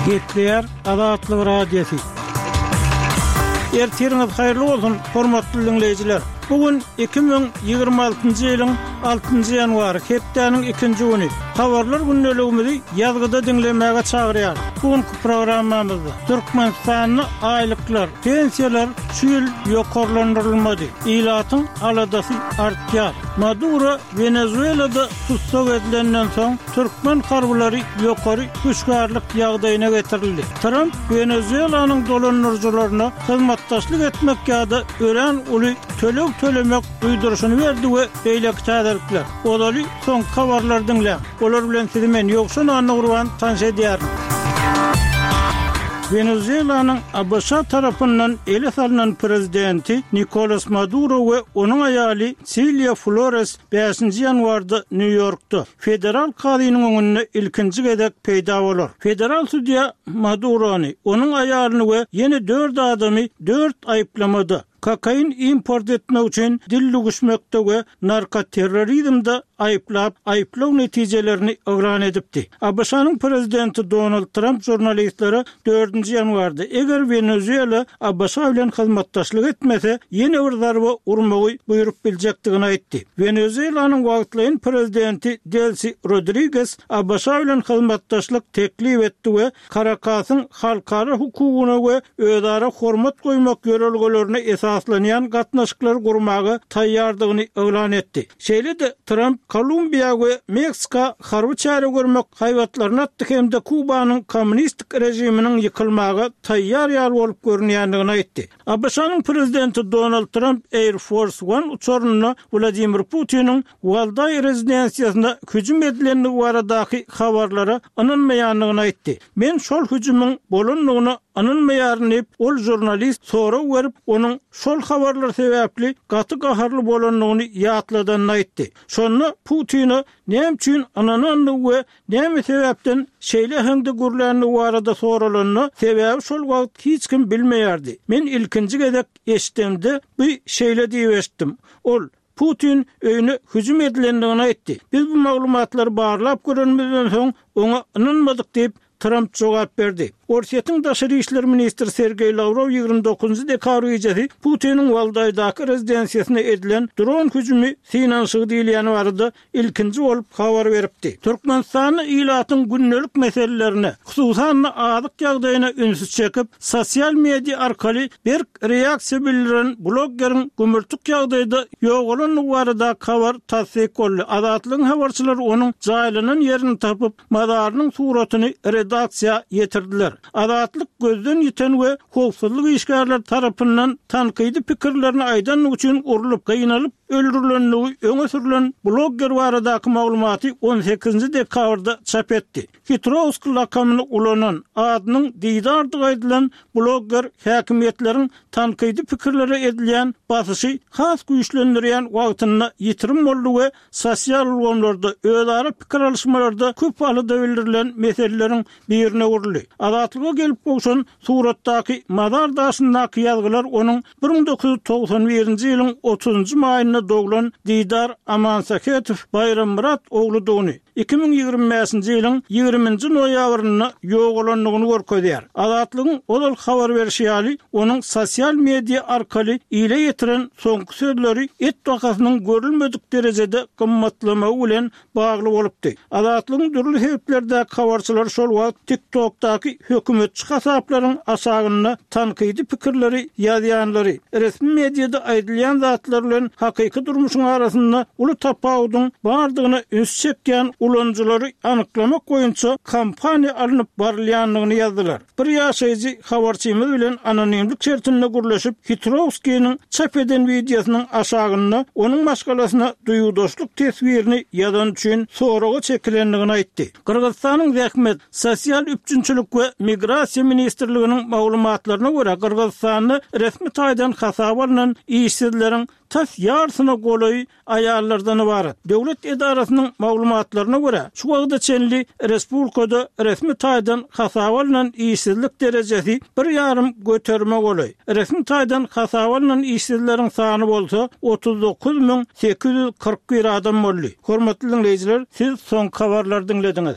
Gepleýär Azatlyk Radiosy. Ertiriňiz haýyrly bolsun, hormatly diňleýjiler! Bu gün 2026-njy ýylyň altynjy ýanwary, hepdäniň ikinji güni. Habarlar gündeligimizi ýazgyda diňlemäge çagyrýarys. Bu günki programmamyzda Türkmenistanda aýlyklar, pensiýalar şu ýyl ýokarlandyrylmady. Ilatyň aladasy artýar. Maduro Wenezuelada tussag edilenden soň, türkmen harbylary ýokary hüşgärlik ýagdaýyna getirildi. Tramp Wenezuelanyň dolandyryjylaryna hyzmatdaşlyk etmek ýa-da örän uly töleg tölemek duýduryşyny berdi we beýleki täzelikler. Ozaly soňky habarlary diňläň. Olar bilen sizi men, Ýowşan Annagurban, tanyş edýärin. Wenezuelanyň ABŞ tarapyndan ele salnan prezidenti Nikolas Maduro we onuň aýaly Siliýa Flores bäşinji ýanwarda Nýu-Ýorkda, federal kazynyň öňünde ilkinji gezek peýda bolar. Federal sudýa Madurony, onuň aýalyny we ýene dört adamy dört aýyplamada, kokain import etmek üçin dil düwüşmekde we narkoterrorizmde aýyplap, aýyplaw netijelerini yglan edipdi. ABŞ-nyň prezidenti Donald Tramp žurnalistlere dördünji ýanwarda, eger Wenezuela ABŞ bilen hyzmatdaşlyk etmese, ýene bir zarba urmagy buýrup biljekdigini aýtdy. Wenezuelanyň wagtlaýyn prezidenti Delsi Rodriges ABŞ bilen hyzmatdaşlyk teklip etdi we Karakasyň halkara hukugyna we özara hormat goýmak ýörelgelerine esaslanýan gatnaşyklary gurmaga taýýardygyny yglan etdi. Şeýle-de Tramp Kolumbiýa we Meksika harby çäre görmek haýbatlaryny atdy hem-de Kubanyň kommunistik režiminiň ýykylmaga taýýar ýaly bolup görünýändigini aýtdy. ABŞ-nyň prezidenti Donald Tramp Air Force One uçarynda Wladimir Putiniň Waldaý rezidensiýasyna hüjüm edilendigi baradaky habarlara ynanmaýandygyny aýtdy. Men şol hüjümiň bolandygyna ynanmaýaryn diýip, ol žurnalist sorag berip, onuň şol habarlar sebäpli gaty gaharly bolandygyny ýatladanyny aýtdy. Şonda Putine näme üçin ynanandygy we näme sebäpden şeýle äheňde gürländigi barada soralanda, sebäbi şol wagt hiç kim bilmeýärdi. Men ilkinji gezek eşidemde bu şeýle diýip eşitdim. Ol, Putin öýüne hüjüm edilendigini aýtdy. Biz bu maglumatlary barlap görenimizden soň, oňa ynanmadyk diýip, Tramp jogap berdi. Orsýetiň daşary işler ministri Sergeý Lawrow 29 dekabr gijesi Putiniň Waldaýdaky rezidensiýasyna edilen dron hüjümi synanyşygy diýilýäni barada ilkinji bolup habar beripdi. Türkmenistanda ilatyň gündelik meselelerine, hususan-da azyk ýagdaýyna ünsi çekip, sosial media arkaly berk reaksiýa bildiren bloggeriň gümürtik ýagdaýda ýogalandygy baradaky habar tassyk boldy. Azatlygyň habarçylary onuň jaýlanan ýerini tapyp, mazarynyň suratyny redaksiýa ýetirdiler. Azatlyk gözden ýiten we howpsuzlyk işgärleri tarapyndan tankydy pikirlerini aýdandygy üçin urlup, gynalyp öldürilendigi öňe sürlen blogger baradaky maglumaty on sekizinji dekabrda çap etdi. Hitrowsk lakamyny ulanan, adynyň Didardygy aýdylan blogger häkimiýetleriň tankydy pikirlere edilýän basyşy has güýçlendirýän wagtynda ýitirim boldy we sosial ulgamlarda özara pikir alyşmalarda köp alada bildirilen meseleleriň birine öwrüldi. Azatlyga gelip gowşan suratdaky mazar daşyndaky ýazgylar onuň 1991-nji ýylyň otuzynjy maýynda doglan Didar Amansähetow Baýrammyrat ogludygyny, 2025-nji ýylyň ýigriminji noýabrynda ýogalandygyny görkezýär. Azatlygyň ozal habar berşi ýaly, onuň sosial media arkaly ile ýetiren soňky sözleri et bahasynyň görülmedik derejede gymmatlamagy bilen bagly bolupdy. Azatlygyň dürli sebitlerdäki habarçylary şol wagt TikTok-daky hökümetçi hasaplaryň aşagynda tankydy pikirleri ýazýanlary, resmi mediada aýdylýan zatlar bilen hakyky durmuşyň arasynda uly tapawudyň bardygyna üns çekýän ulanyjylary anyklamak boýunça kampaniýa alnyp barylýandygyny ýazdylar. Bir ýaşaýjy habarçymyz bilen anonimlik şertinde gürleşip, Hitrowskiniň çap eden wideosynyň aşagynda onuň maşgalasyna duýgudaşlyk teswirini ýazany üçin soraga çekilendigini aýtdy. Gyrgyzystanyň Zähmet, sosial üpjünçilik we migrasiýa ministrliginiň maglumatlaryna görä, Gyrgyzystanda resmi taýdan hasaba alnan işsizleriň tas ýarysyna golaýy aýallardan ybarat. Döwlet edarasynyň maglumatlaryna görä, şu wagta çenli respublikada resmi taýdan hasaba alnan işsizlik derejesi bir ýarym göterime golaý. Resmi taýdan hasaba alnan işsizleriň sany bolsa 39 841 adam boldy. Hormatly diňleýjiler, siz soňky habarlary diňlediňiz.